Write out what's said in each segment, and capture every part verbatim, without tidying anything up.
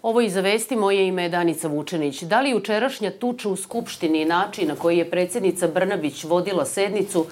Ovo iz Vesti, moje ime je Danica Vučenić. Da li jučerašnja tuča u Skupštini i način na koji je predsjednica Brnabić vodila sednicu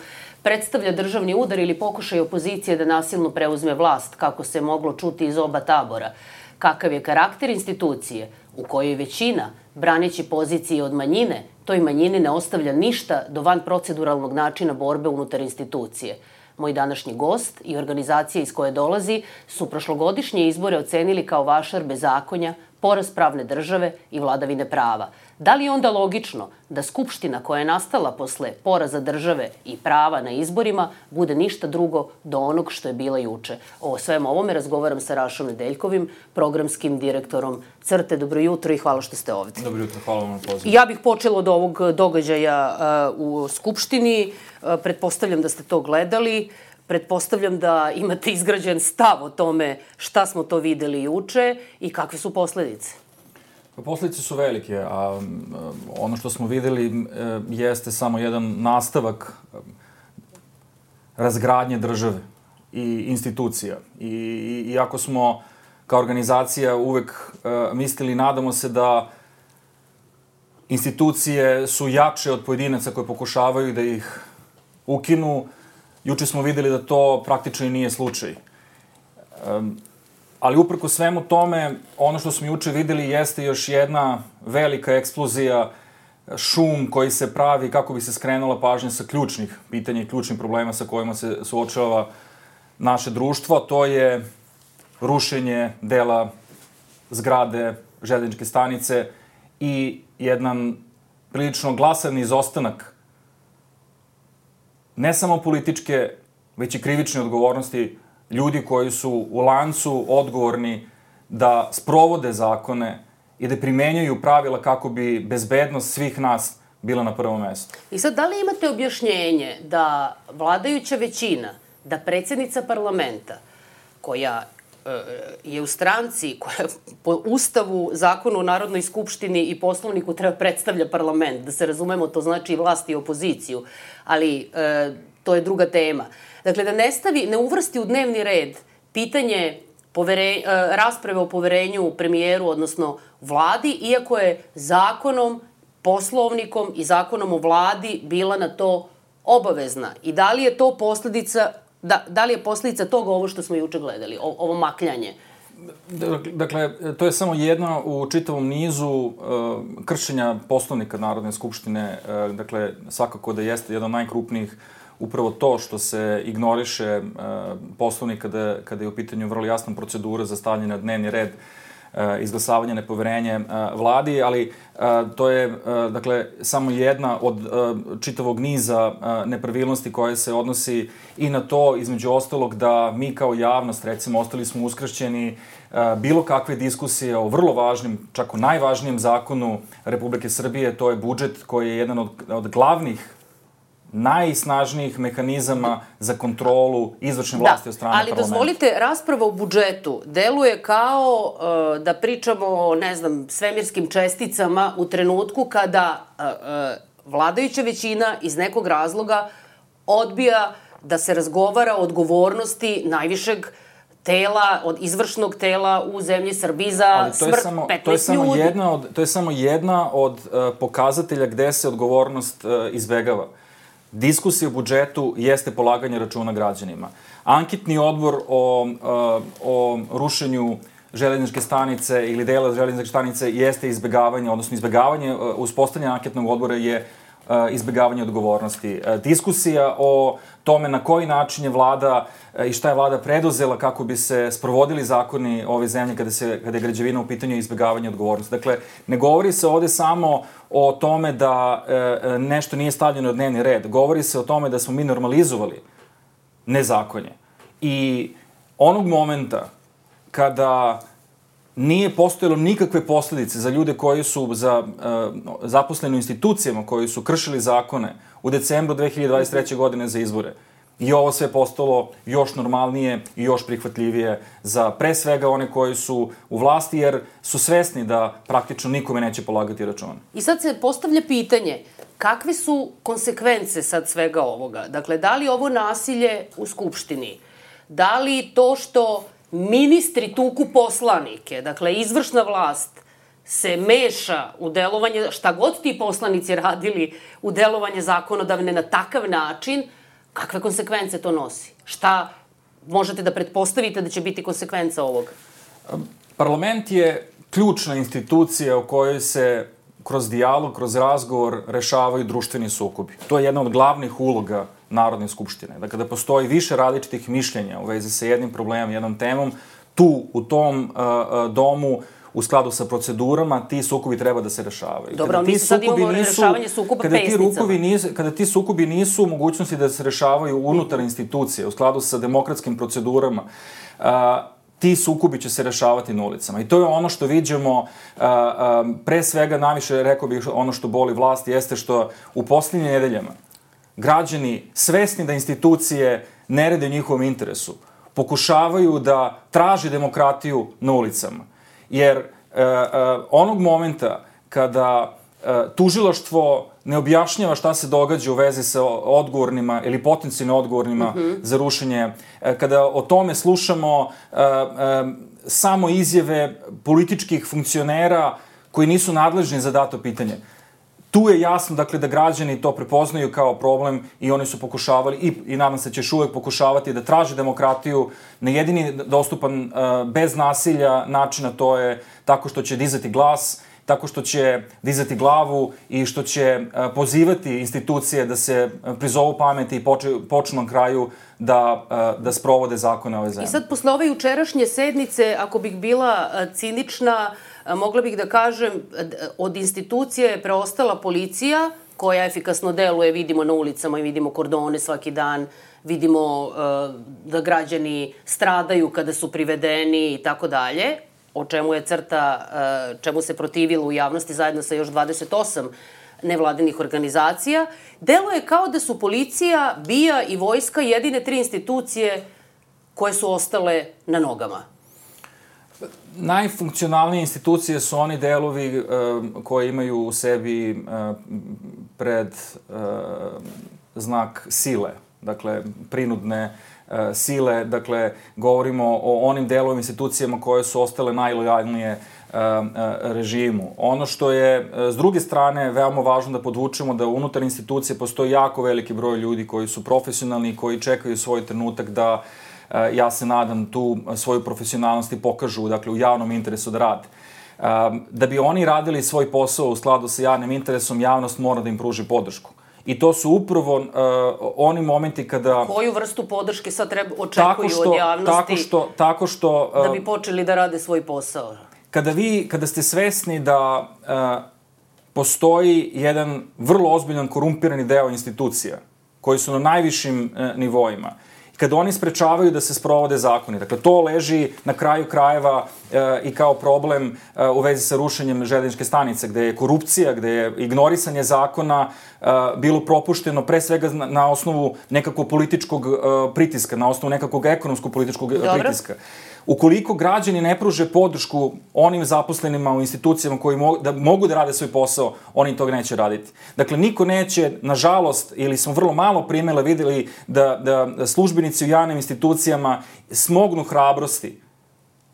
predstavlja državni udar ili pokušaj opozicije da nasilno preuzme vlast, kako se moglo čuti iz oba tabora? Kakav je karakter institucije u kojoj većina, braneći pozicije od manjine, toj manjini ne ostavlja ništa do van proceduralnog načina borbe unutar institucije? Moj današnji gost i organizacija iz koje dolazi su prošlogodišnje izbore ocenili kao vašar bezakonja, poraz pravne države i vladavine prava. Da li je onda logično da Skupština koja je nastala posle poraza države i prava na izborima bude ništa drugo do onog što je bila juče? O svemu ovome razgovaram sa Rašom Nedeljkovim, programskim direktorom Crte. Dobro jutro i hvala što ste ovdje. Dobro jutro, hvala vam na pozivu. Ja bih počela od ovog događaja u Skupštini. Pretpostavljam da ste to gledali. Pretpostavljam da imate izgrađen stav o tome šta smo to videli juče i kakve su posledice. Posledice su velike, a ono što smo videli jeste samo jedan nastavak razgradnje države i institucija. I iako smo kao organizacija uvek mislili i nadamo se da institucije su jače od pojedinaca koje pokušavaju da ih ukinu, juče smo videli da to praktično i nije slučaj. Ali uprko svemu tome, ono što smo juče videli jeste još jedna velika eksplozija, šum koji se pravi kako bi se skrenula pažnja sa ključnih pitanja i ključnih problema sa kojima se suočava naše društvo. To je rušenje dela zgrade železničke stanice i jedan prilično glasan izostanak ne samo političke, već i krivične odgovornosti ljudi koji su u lancu odgovorni da sprovode zakone i da primenjaju pravila kako bi bezbednost svih nas bila na prvom mestu. I sad, da li imate objašnjenje da vladajuća većina, da predsjednica parlamenta, koja je u stranci, koja po Ustavu, Zakonu o Narodnoj skupštini i Poslovniku treba predstavlja parlament, da se razumemo, to znači i vlast i opoziciju, ali e, to je druga tema. Dakle, da ne stavi, ne uvrsti u dnevni red pitanje povere, rasprave o poverenju premijeru, odnosno vladi, iako je zakonom, poslovnikom i zakonom o vladi bila na to obavezna. I da li je to posljedica, da, da li je posljedica toga ovo što smo juče gledali, o, ovo makljanje? Dakle, to je samo jedna u čitavom nizu uh, kršenja poslovnika Narodne skupštine. Uh, dakle, svakako da jeste jedan od najkrupnijih upravo to što se ignoriše uh, poslovnik kada, kada je u pitanju vrlo jasna procedura za stavljanje na dnevni red uh, izglasavanje nepoverenje uh, vladi, ali uh, to je uh, dakle samo jedna od uh, čitavog niza uh, nepravilnosti koje se odnosi i na to, između ostalog, da mi kao javnost, recimo, ostali smo uskraćeni uh, bilo kakve diskusije o vrlo važnim, čak o najvažnijem zakonu Republike Srbije, to je budžet koji je jedan od, od glavnih najsnažnijih mehanizama za kontrolu izvršne vlasti od strane parlamenta. Ali dozvolite, rasprava o budžetu deluje kao uh, da pričamo o, ne znam, svemirskim česticama u trenutku kada uh, uh, vladajuća većina iz nekog razloga odbija da se razgovara o odgovornosti najvišeg tela, od izvršnog tela u zemlji Srbiji za smrt petnaest ljudi. Jedna od, to je samo jedna od uh, pokazatelja gde se odgovornost uh, izbegava. Diskusija o budžetu jeste polaganje računa građanima. Anketni odbor o, o rušenju železničke stanice ili dela železničke stanice jeste izbegavanje, odnosno izbegavanje, uspostavljanje anketnog odbora je izbegavanje odgovornosti. Diskusija o tome na koji način je vlada i šta je vlada preduzela kako bi se sprovodili zakoni ove zemlje kada, se, kada je građevina u pitanju izbegavanja odgovornosti. Dakle, ne govori se ovde samo o tome da e, nešto nije stavljeno na dnevni red. Govori se o tome da smo mi normalizovali nezakonje. I onog momenta kada nije postojalo nikakve posledice za ljude koji su za uh, zaposleni u institucijama, koji su kršili zakone u decembru dve hiljade dvadeset treće. godine za izbore. I ovo sve postalo još normalnije i još prihvatljivije za pre svega one koji su u vlasti, jer su svesni da praktično nikome neće polagati račun. I sad se postavlja pitanje, kakve su konsekvence sad svega ovoga? Dakle, da li ovo nasilje u Skupštini, da li to što ministri tuku poslanike, dakle, izvršna vlast se meša u delovanje, šta god ti poslanici radili u delovanje zakonodavne na takav način, kakve konsekvence to nosi? Šta možete da pretpostavite da će biti konsekvenca ovoga? Parlament je ključna institucija u kojoj se kroz dijalog, kroz razgovor rešavaju društveni sukobi. To je jedna od glavnih uloga Narodne skupštine. Da kada postoji više različitih mišljenja u vezi sa jednim problemom, jednom temom, tu, u tom uh, domu, u skladu sa procedurama, ti sukobi treba da se rešavaju. Dobro, mi sad imamo rešavanje sukoba pesnicama. Kada ti sukobi nisu u mogućnosti da se rešavaju unutar institucije, u skladu sa demokratskim procedurama, uh, ti sukobi će se rešavati na ulicama. I to je ono što viđemo, uh, uh, pre svega, najviše, rekao bih, ono što boli vlast, jeste što u posljednjim nedeljama građani, svesni da institucije ne rade u njihovom interesu, pokušavaju da traže demokratiju na ulicama. Jer uh, uh, onog momenta kada uh, tužilaštvo ne objašnjava šta se događa u vezi sa odgovornima ili potencijalno odgovornima mm-hmm. za rušenje, uh, kada o tome slušamo uh, uh, samo izjave političkih funkcionera koji nisu nadležni za dato pitanje, tu je jasno, dakle, da građani to prepoznaju kao problem i oni su pokušavali, i, i nadam se će još uvek pokušavati da traže demokratiju na jedini dostupan, uh, bez nasilja načina, to je tako što će dizati glas, tako što će dizati glavu i što će uh, pozivati institucije da se prizovu pameti i poče, počnu na kraju da, uh, da sprovode zakone ove zemlje. I sad, posle ove jučerašnje sednice, ako bih bila uh, cinična, mogla bih da kažem, od institucije je preostala policija, koja efikasno deluje, vidimo na ulicama i vidimo kordone svaki dan, vidimo uh, da građani stradaju kada su privedeni i tako dalje, o čemu je crta, uh, čemu se protivilo u javnosti zajedno sa još dvadeset osam nevladinih organizacija. Delo je kao da su policija, B I A i vojska jedine tri institucije koje su ostale na nogama. Najfunkcionalnije institucije su oni delovi uh, koji imaju u sebi uh, pred uh, znak sile, dakle, prinudne uh, sile, dakle, govorimo o onim delovim institucijama koje su ostale najlojalnije uh, uh, režimu. Ono što je, uh, s druge strane, veoma važno da podvučemo da unutar institucije postoji jako veliki broj ljudi koji su profesionalni i koji čekaju svoj trenutak da ja se nadam tu svoju profesionalnost i pokažu, dakle, u javnom interesu da rade. Da bi oni radili svoj posao u skladu sa javnim interesom, javnost mora da im pruži podršku. I to su upravo uh, oni momenti kada... Koju vrstu podrške sad treba, očekuju što, od javnosti tako što, tako što, uh, da bi počeli da rade svoj posao? Kada vi, kada ste svesni da uh, postoji jedan vrlo ozbiljan korumpirani deo institucija koji su na najvišim uh, nivoima, kada oni sprečavaju da se sprovode zakoni. Dakle, to leži na kraju krajeva e, i kao problem e, u vezi sa rušenjem železničke stanice, gde je korupcija, gde je ignorisanje zakona e, bilo propušteno pre svega na, na osnovu nekakvog političkog e, pritiska, na osnovu nekakvog ekonomskog političkog Dobro. pritiska. Ukoliko građani ne pruže podršku onim zaposlenima u institucijama koji mo da mogu da rade svoj posao, oni toga neće raditi. Dakle, niko neće, nažalost, ili smo vrlo malo primjera videli da, da službenici u javnim institucijama smognu hrabrosti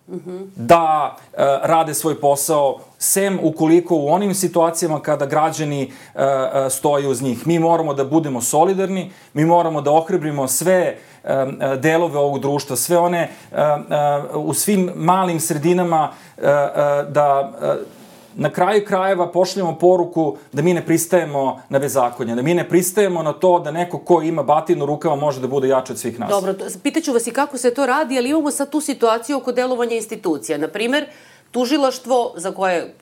mm-hmm. da uh, rade svoj posao, sem ukoliko u onim situacijama kada građani uh, uh, stoje uz njih. Mi moramo da budemo solidarni, mi moramo da ohrabrimo sve uh, uh, delove ovog društva, sve one uh, uh, u svim malim sredinama uh, uh, da uh, na kraju krajeva pošaljemo poruku da mi ne pristajemo na bezakonje, da mi ne pristajemo na to da neko ko ima batinu u rukama može da bude jači od svih nas. Dobro, pitaću vas i kako se to radi, ali imamo sad tu situaciju oko delovanja institucija. Naprimer, tužilaštvo za koje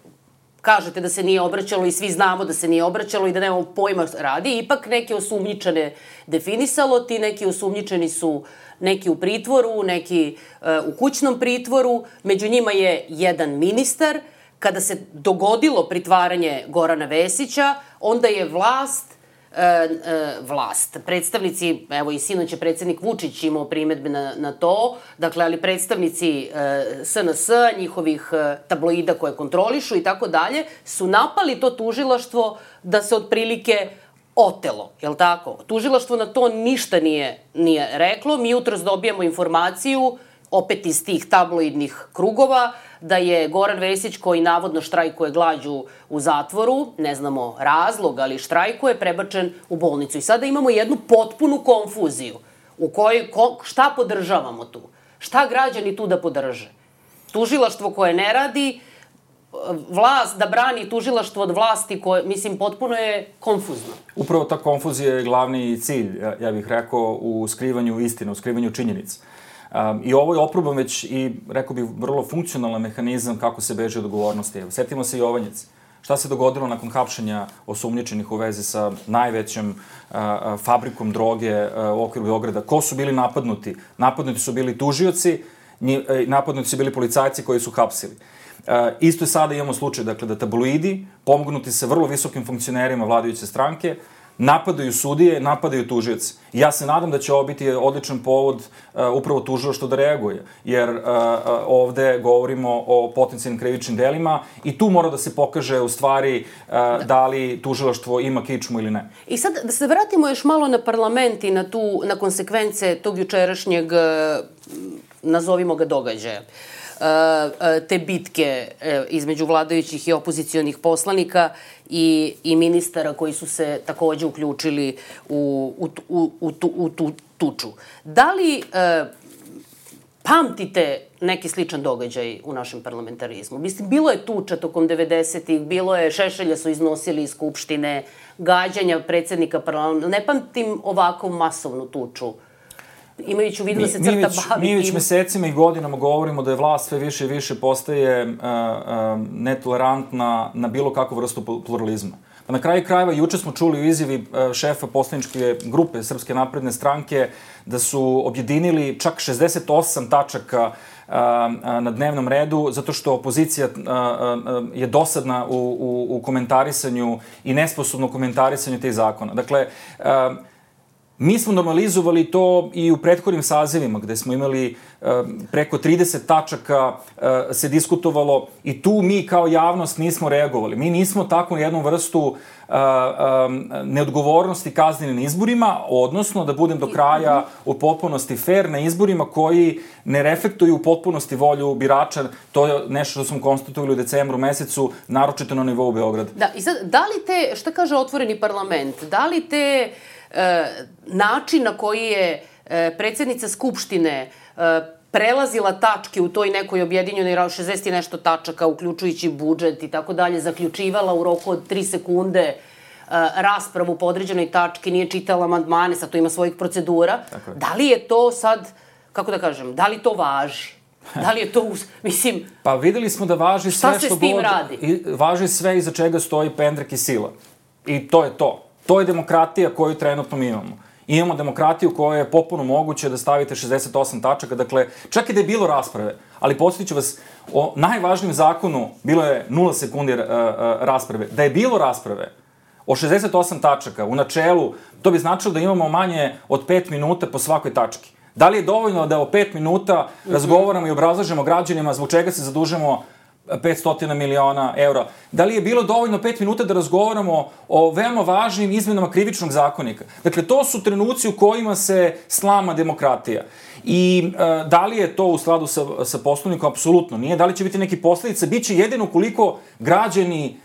kažete da se nije obraćalo i svi znamo da se nije obraćalo i da nemamo pojma radi, ipak neke osumnjičene definisalo, ti neki osumnjičeni su neki u pritvoru, neki uh, u kućnom pritvoru, među njima je jedan ministar. Kada se dogodilo pritvaranje Gorana Vesića, onda je vlast, e, e, vlast, predstavnici, evo i sinoć je predsednik Vučić imao primetbe na, na to, dakle, ali predstavnici e, S N S, njihovih e, tabloida koje kontrolišu i tako dalje, su napali to tužilaštvo da se otprilike otelo, jel tako? Tužilaštvo na to ništa nije, nije reklo, mi jutros dobijamo informaciju opet iz tih tabloidnih krugova, da je Goran Vesić, koji navodno štrajkuje glađu u zatvoru, ne znamo razlog, ali štrajkuje, prebačen u bolnicu. I sada imamo jednu potpunu konfuziju u kojoj ko, šta podržavamo tu? Šta građani tu da podrže? Tužilaštvo koje ne radi, vlast da brani tužilaštvo od vlasti koje, mislim, potpuno je konfuzno. Upravo ta konfuzija je glavni cilj, ja, ja bih rekao, u skrivanju istine, u skrivanju činjenica. Um, I ovo je oproban već i, rekao bih, vrlo funkcionalan mehanizam kako se beže od odgovornosti. Evo, setimo se Jovanjice. Šta se dogodilo nakon hapšenja osumnjičenih u vezi sa najvećom uh, fabrikom droge uh, u okviru Beograda? Ko su bili napadnuti? Napadnuti su bili tužioci, nji, napadnuti su bili policajci koji su hapsili. Uh, isto je sada imamo slučaj, dakle, da tabloidi, pomognuti se vrlo visokim funkcionerima vladajuće stranke, napadaju sudije, napadaju tužioci. Ja se nadam da će ovo biti odličan povod uh, upravo tužilaštva da reaguje, jer uh, uh, ovde govorimo o potencijalnim krivičnim delima i tu mora da se pokaže u stvari uh, da. da li tužilaštvo ima kičmu ili ne. I sad da se vratimo još malo na parlament i na, tu, na konsekvence tog jučerašnjeg, nazovimo ga, događaja. Te bitke između vladajućih i opozicionih poslanika i, i ministara koji su se takođe uključili u, u, u, u, tu, u tu tuču. Da li e, pamtite neki sličan događaj u našem parlamentarizmu? Mislim, bilo je tuča tokom devedesetih, bilo je, Šešelja su iznosili iz Skupštine, gađanja predsednika parlamenta. Ne pamtim ovakvu masovnu tuču. Imajući u vidu da se crta bavi... Mi već mesecima i godinama govorimo da je vlast sve više i više postaje uh, uh, netolerantna na bilo kakvu vrstu pluralizma. Pa na kraju krajeva, juče smo čuli u izjavi uh, šefa poslaničke grupe Srpske napredne stranke da su objedinili čak šezdeset osam tačaka uh, na dnevnom redu, zato što opozicija uh, uh, je dosadna u, u, u komentarisanju i nesposobno u komentarisanju tih zakona. Dakle, uh, mi smo normalizovali to i u prethodnim sazivima, gde smo imali uh, preko trideset tačaka uh, se diskutovalo i tu mi kao javnost nismo reagovali. Mi nismo takvu jednu vrstu uh, um, neodgovornosti kaznili na izborima, odnosno da budem do kraja u potpunosti fair na izborima koji ne reflektuju u potpunosti volju birača. To je nešto što smo konstatovali u decembru mesecu, naročito na nivou Beograda. Da, i sad, da li te, šta kaže otvoreni parlament, da li te E, način na koji je e, predsjednica Skupštine e, prelazila tačke u toj nekoj objedinjenoj šezdeset i nešto tačaka, uključujući budžet i tako dalje, zaključivala u roku od tri sekunde e, raspravu po određenoj tački, nije čitala amandmane, sad to ima svojih procedura. Da li je to sad, kako da kažem, da li to važi? Da li je to, mislim... Pa videli smo da važi sve što... Šta se s tim radi? I, važi sve iza čega stoji pendrek i sila. I to je to. To je demokratija koju trenutno mi imamo. Imamo demokratiju koja je potpuno moguće da stavite šezdeset osam tačaka, dakle, čak i da je bilo rasprave, ali podsjetiću vas, o najvažnijem zakonu bilo je nula sekundi uh, uh, rasprave. Da je bilo rasprave o šezdeset osam tačaka u načelu, to bi značilo da imamo manje od pet minuta po svakoj tački. Da li je dovoljno da o pet minuta razgovaramo i obrazlažemo građanima zbog čega se zadužemo petsto miliona eura? Da li je bilo dovoljno pet minuta da razgovaramo o veoma važnim izmenama krivičnog zakonika? Dakle, to su trenuci u kojima se slama demokratija. I e, da li je to u skladu sa, sa poslovnikom? Apsolutno nije. Da li će biti neki posledice? Biće jedino koliko građani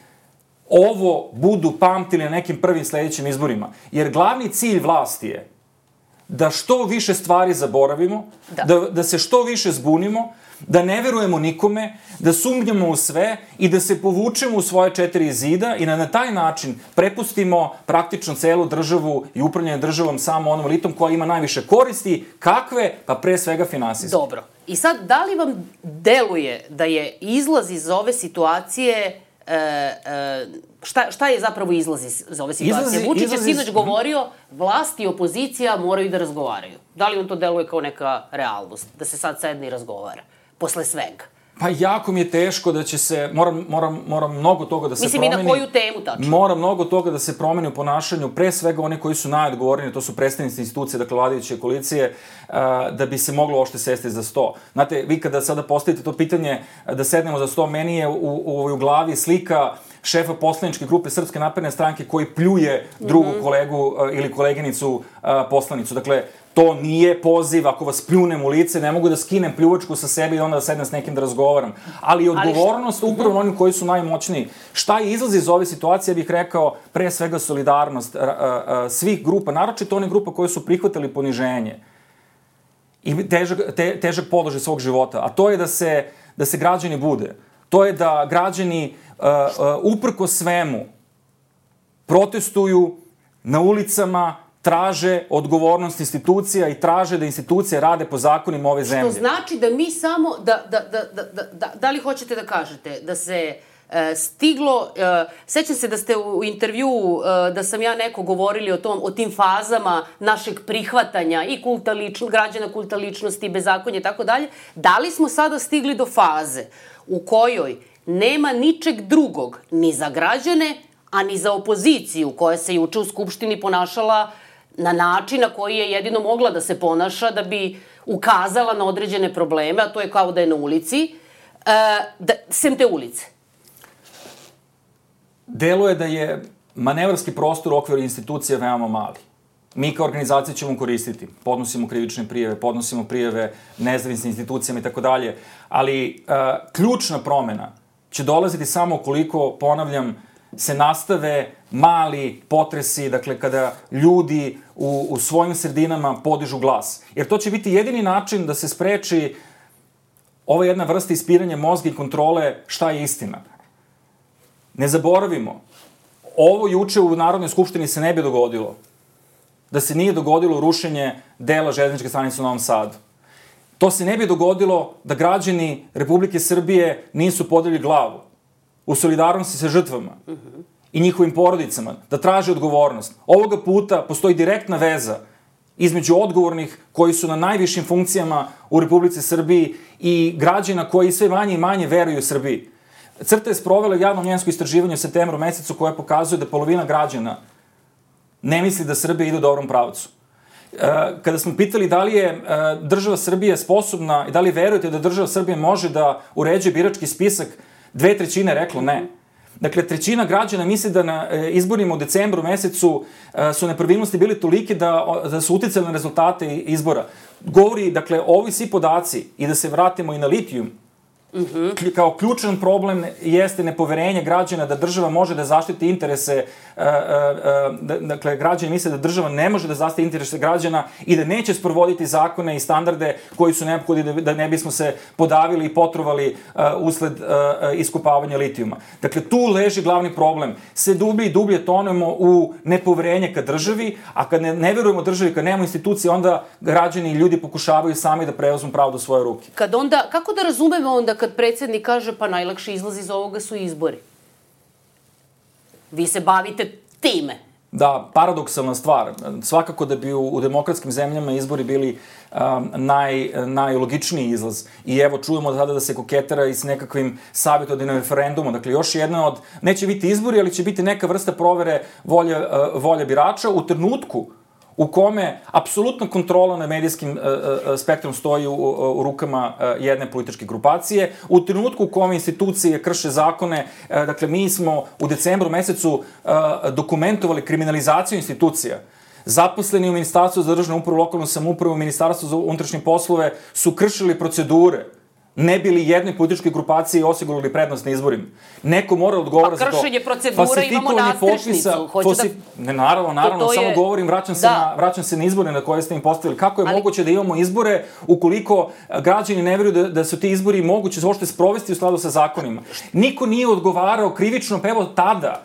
ovo budu pamtili na nekim prvim sledećim izborima. Jer glavni cilj vlasti je da što više stvari zaboravimo, da, da, da se što više zbunimo, da ne verujemo nikome, da sumnjamo u sve i da se povučemo u svoje četiri zida i da na taj način prepustimo praktično celu državu i upravljanje državom samo onom elitom koja ima najviše koristi. Kakve? Pa pre svega finansijske. Dobro. I sad, da li vam deluje da je izlaz iz ove situacije... E, e, šta, šta je zapravo izlaz iz ove situacije? Izlazi, Vučić je sinoć govorio, vlast i opozicija moraju da razgovaraju. Da li on to deluje kao neka realnost? Da se sad sedne i razgovara? Posle svega. Pa jako mi je teško da će se, moram, moram, moram mnogo toga da se Mislim, promeni. Mislim, i na koju temu tačno? Mora mnogo toga da se promeni u ponašanju, pre svega oni koji su najodgovorniji, to su predstavnici institucije, dakle vladajuće koalicije, da bi se moglo ošte sesti za sto. Znate, vi kada sada postavite to pitanje da sednemo za sto, meni je u, u, u glavi slika šefa poslaničke grupe Srpske napredne stranke koji pljuje drugu kolegu ili koleginicu poslanicu. Dakle, To nije poziv, ako vas pljunem u lice, ne mogu da skinem pljuvačku sa sebe i onda da sedem s nekim da razgovaram. Ali odgovornost upravo onim koji su najmoćniji. Šta je izlaz iz ove situacije, bih rekao, pre svega solidarnost svih grupa, naročito onih grupa koje su prihvatili poniženje i težak, te, težak položaj svog života. A to je da se, da se građani bude. To je da građani uh, uh, uprko svemu protestuju na ulicama, traže odgovornost institucija i traže da institucije rade po zakonima ove zemlje. Što znači da mi samo, da, da, da, da, da, da li hoćete da kažete, da se e, stiglo, e, sećam se da ste u intervju, e, da sam ja neko govorili o tom, o tim fazama našeg prihvatanja i kulta lično, građana, kulta ličnosti, bezakonje i tako dalje, da li smo sada stigli do faze u kojoj nema ničeg drugog ni za građane, a ni za opoziciju koja se juče u Skupštini ponašala na način na koji je jedino mogla da se ponaša da bi ukazala na određene probleme, a to je kao da je na ulici, da, sem te ulice. Deluje da je manevarski prostor u okviru institucija veoma mali. Mi kao organizacija ćemo koristiti. Podnosimo krivične prijave, podnosimo prijave nezavisnim institucijama i tako dalje, ali uh, ključna promena će dolaziti samo ukoliko, ponavljam, se nastave mali potresi, dakle, kada ljudi u, u svojim sredinama podižu glas. Jer to će biti jedini način da se spreči ova jedna vrsta ispiranja mozga i kontrole šta je istina. Ne zaboravimo, ovo juče u Narodnoj skupštini se ne bi dogodilo da se nije dogodilo rušenje dela železničke stanice u Novom Sadu. To se ne bi dogodilo da građani Republike Srbije nisu podigli glavu u solidarnosti sa žrtvama uh-huh. i njihovim porodicama, da traže odgovornost. Ovoga puta postoji direktna veza između odgovornih koji su na najvišim funkcijama u Republici Srbiji i građana koji sve manje i manje veruju Srbiji. CRTA je sprovela javno mnjenjsko istraživanje u septembru mesecu koje pokazuje da polovina građana ne misli da Srbija ide u dobrom pravcu. Kada smo pitali da li je država Srbije sposobna i da li verujete da država Srbije može da uređuje birački spisak, dve trećine reklo ne. Dakle, trećina građana misli da na izborima u decembru mesecu su nepravilnosti bili tolike da, da su uticali na rezultate izbora. Govori, dakle, ovi svi podaci, i da se vratimo i na litijum, Uh-huh. kao ključan problem jeste nepoverenje građana da država može da zaštiti interese, uh, uh, uh, dakle, građani misle da država ne može da zaštiti interese građana i da neće sprovoditi zakone i standarde koji su neophodni da, da ne bismo se podavili i potrovali uh, usled uh, iskopavanja litijuma. Dakle, tu leži glavni problem. Sve dublje i dublje tonemo u nepoverenje ka državi, a kad ne, ne verujemo državi, kad nemamo institucije, onda građani i ljudi pokušavaju sami da preuzmu pravo do svoje ruke. Kad onda, kako da razumemo onda kad predsjednik kaže pa najlakši izlaz iz ovoga su izbori? Vi se bavite time. Da, paradoksalna stvar. Svakako da bi u, u demokratskim zemljama izbori bili um, naj, najlogičniji izlaz. I evo, čujemo tada da se koketera i s nekakvim savjetodavnim referendumom. Dakle, još jedna od... Neće biti izbori, ali će biti neka vrsta provere volje, uh, volje birača u trenutku u kome apsolutna kontrola na medijskim uh, uh, spektrom stoji u, u, u rukama uh, jedne političke grupacije, u trenutku u kome institucije krše zakone, uh, dakle, mi smo u decembru mesecu uh, dokumentovali kriminalizaciju institucija. Zaposleni u Ministarstvu za državnu upravu, lokalnu samoupravu, u Ministarstvu za unutrašnje poslove su kršili procedure, ne bili jednoj političkoj grupaciji osigurali prednost na izborima. Neko mora odgovara za to. Pa kršenje procedura, imamo nastrešnicu. Fosif... Da... Ne, naravno, naravno, to, to samo je... govorim, vraćam se, da. na, vraćam se na izbore na koje ste im postavili. Kako je Ali... moguće da imamo izbore ukoliko građani ne veruju da, da su ti izbori moguće uopšte sprovesti u skladu sa zakonima? Niko nije odgovarao krivično, pa evo tada.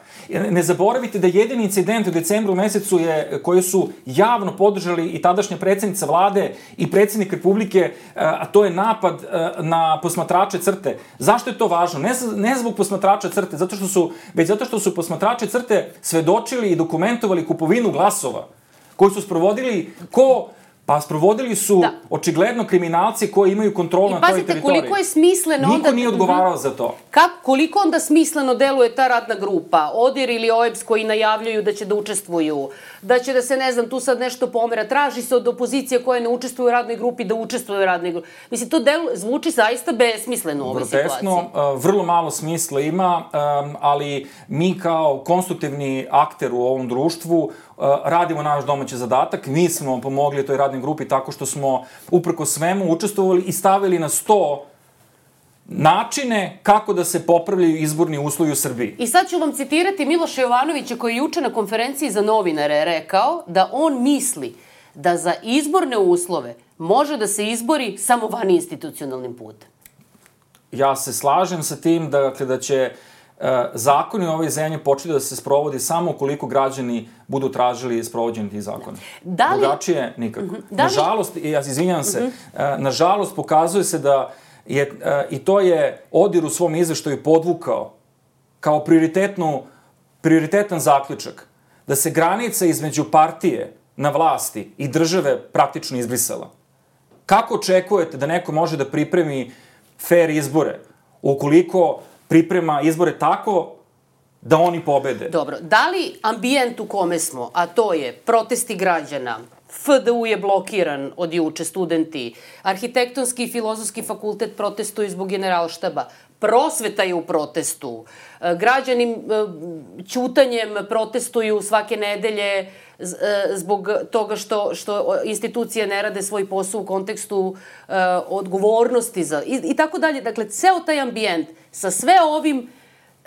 Ne zaboravite da jedini incident u decembru mesecu je, koji su javno podržali i tadašnja predsjednica vlade i predsjednik Republike, a to je napad na posmatrače CRTE. Zašto je to važno? Ne, ne zbog posmatrača CRTE, zato što su, već zato što su posmatrači CRTE svedočili i dokumentovali kupovinu glasova koji su sprovodili ko... Pa sprovodili su da. očigledno kriminalci koji imaju kontrolu na toj teritoriji. I pazite, koliko je smisleno Niko onda... Niko nije odgovarao za to. Kako, koliko onda smisleno deluje ta radna grupa? ODIR ili O E B S koji najavljaju da će da učestvuju, da će da se, ne znam, tu sad nešto pomera. Traži se od opozicije koja ne učestvuje u radnoj grupi da učestvuje u radnoj grupi. Mislim, to delu, zvuči zaista besmisleno u ovoj situaciji. Groteskno, vrlo malo smisla ima, ali mi kao konstruktivni akter u ovom društvu radimo naš domaći zadatak. Mi smo pomogli toj radnoj grupi tako što smo uprko svemu učestvovali i stavili na sto načine kako da se popravljaju izborni uslovi u Srbiji. I sad ću vam citirati Miloša Jovanovića koji je juče na konferenciji za novinare rekao da on misli da za izborne uslove može da se izbori samo van institucionalnim putem. Ja se slažem sa tim da, dakle, da će uh, zakoni u ovoj zemlji početi da se sprovodi samo ukoliko građani budu tražili sprovođenje tih zakona. Da li... Drugačije nikako. Uh-huh. Da li... Nažalost, ja izvinjam se, uh-huh. uh, nažalost pokazuje se da je, uh, i to je Odir u svom izveštaju podvukao kao prioritetnu, prioritetan zaključak, da se granica između partije na vlasti i države praktično izbrisala. Kako očekujete da neko može da pripremi fair izbore ukoliko priprema izbore tako da oni pobede? Dobro, da li ambijent u kome smo, a to je protesti građana, F D U je blokiran od juče, studenti, Arhitektonski i Filozofski fakultet protestuju zbog Generalštaba, prosveta je u protestu, građani ćutanjem protestuju svake nedelje zbog toga što, što institucije ne rade svoj posao u kontekstu uh, odgovornosti za, i, i tako dalje. Dakle, ceo taj ambijent sa sve ovim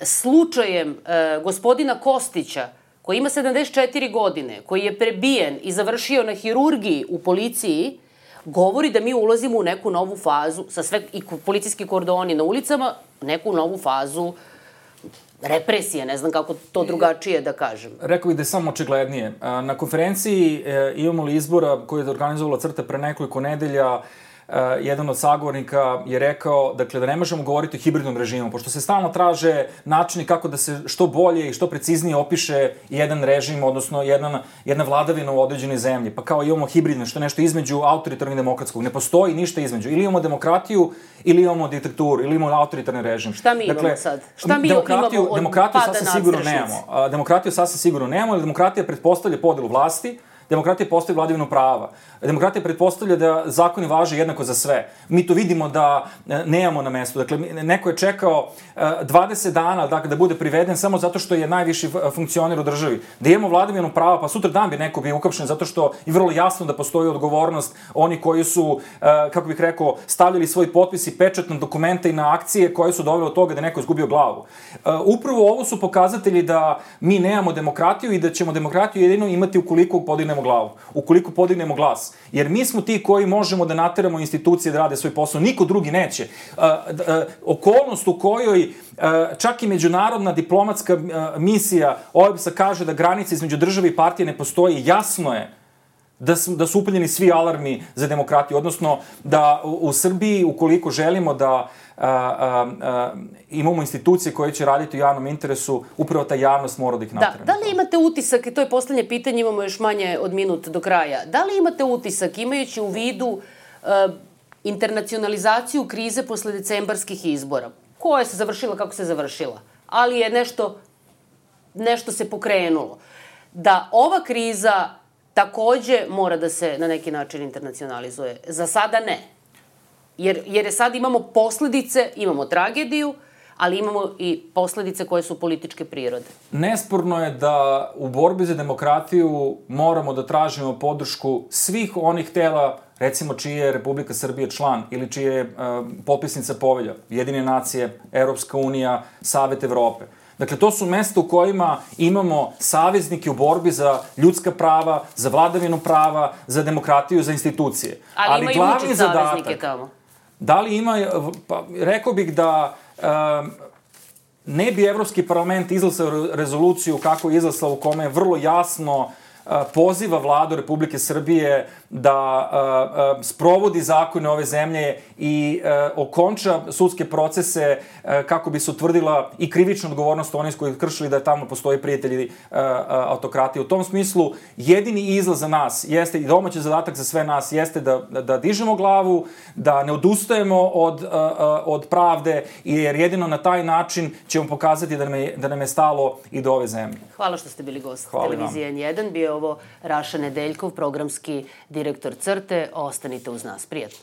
slučajem uh, gospodina Kostića, koji ima sedamdeset četiri godine, koji je prebijen i završio na hirurgiji u policiji, govori da mi ulazimo u neku novu fazu, sa sve i policijski kordoni na ulicama, neku novu fazu represije, ne znam kako to drugačije da kažem. Rekao bih da je samo očiglednije. Na konferenciji Imamo li izbora koju je organizovala Crta pre nekoliko nedelja, jedan od sagovornika je rekao, dakle, da ne možemo govoriti o hibridnom režimu, pošto se stalno traže načini kako da se što bolje i što preciznije opiše jedan režim, odnosno jedna, jedna vladavina u određenoj zemlji. Pa kao imamo hibridno, što je nešto između autoritarnog i demokratskog. Ne postoji ništa između. Ili imamo demokratiju, ili imamo diktaturu, ili imamo autoritarni režim. Šta mi dakle, imamo sad? Šta mi demokratiju, imamo od demokratiju pada sasvim sigurno nemamo. Demokratiju sasvim sigurno nemamo, ali demokratija pretpostavlja podelu vlasti, demokratija postoji vladavinu prava. Demokratija pretpostavlja da zakoni važe jednako za sve. Mi to vidimo da nemamo na mestu. Dakle, neko je čekao dvadeset dana dakle, da bude priveden samo zato što je najviši funkcioner u državi. Da imamo vladavinu prava, pa sutra dan bi neko bio ukapšen zato što je vrlo jasno da postoji odgovornost oni koji su, kako bih rekao, stavljali svoj potpis i pečat na dokumente i na akcije koje su dovele od toga da neko izgubio glavu. Upravo ovo su pokazatelji da mi nemamo demokratiju i da ćemo demokratiju jedino imati ukoliko podignemo glavu, ukoliko podignemo glas. Jer mi smo ti koji možemo da nateramo institucije da rade svoj posao, niko drugi neće. Uh, uh, okolnost u kojoj uh, čak i međunarodna diplomatska uh, misija O E B S-a kaže da granica između države i partije ne postoji, jasno je da su, da su upaljeni svi alarmi za demokratiju, odnosno da u, u Srbiji, ukoliko želimo da a, a, a, imamo institucije koje će raditi u javnom interesu, upravo ta javnost mora da ih nateramo. Da, da li imate utisak, i to je poslednje pitanje, imamo još manje od minut do kraja, da li imate utisak, imajući u vidu uh, internacionalizaciju krize posle decembarskih izbora, koja se završila kako se završila, ali je nešto, nešto se pokrenulo, da ova kriza takođe mora da se na neki način internacionalizuje. Za sada ne. Jer, jer je sad imamo posledice, imamo tragediju, ali imamo i posledice koje su političke prirode. Nesporno je da u borbi za demokratiju moramo da tražimo podršku svih onih tela, recimo čiji je Republika Srbija član ili čiji je uh, potpisnica povelja, Jedine nacije, Evropska unija, Savet Evrope. Dakle, to su mesta u kojima imamo saveznike u borbi za ljudska prava, za vladavinu prava, za demokratiju, za institucije. Ali, Ali ima i Vučić saveznike tamo. Da li ima, pa rekao bih da um, ne bi Evropski parlament izglasao rezoluciju kako je izglasao u kome je vrlo jasno poziva vladu Republike Srbije da uh, uh, sprovodi zakone ove zemlje i uh, okonča sudske procese uh, kako bi se utvrdila i krivična odgovornost onih koji kršili da tamo postoji prijatelji uh, uh, autokratije. U tom smislu, jedini izlaz za nas jeste, i domaći zadatak za sve nas, jeste da, da, da dižemo glavu, da ne odustajemo od, uh, uh, od pravde, jer jedino na taj način ćemo pokazati da nam je, da nam je stalo i do ove zemlje. Hvala što ste bili gost televizije N jedan. Bio ovo Raša Nedeljkov, programski direktor Crte. Ostanite uz nas. Prijatno.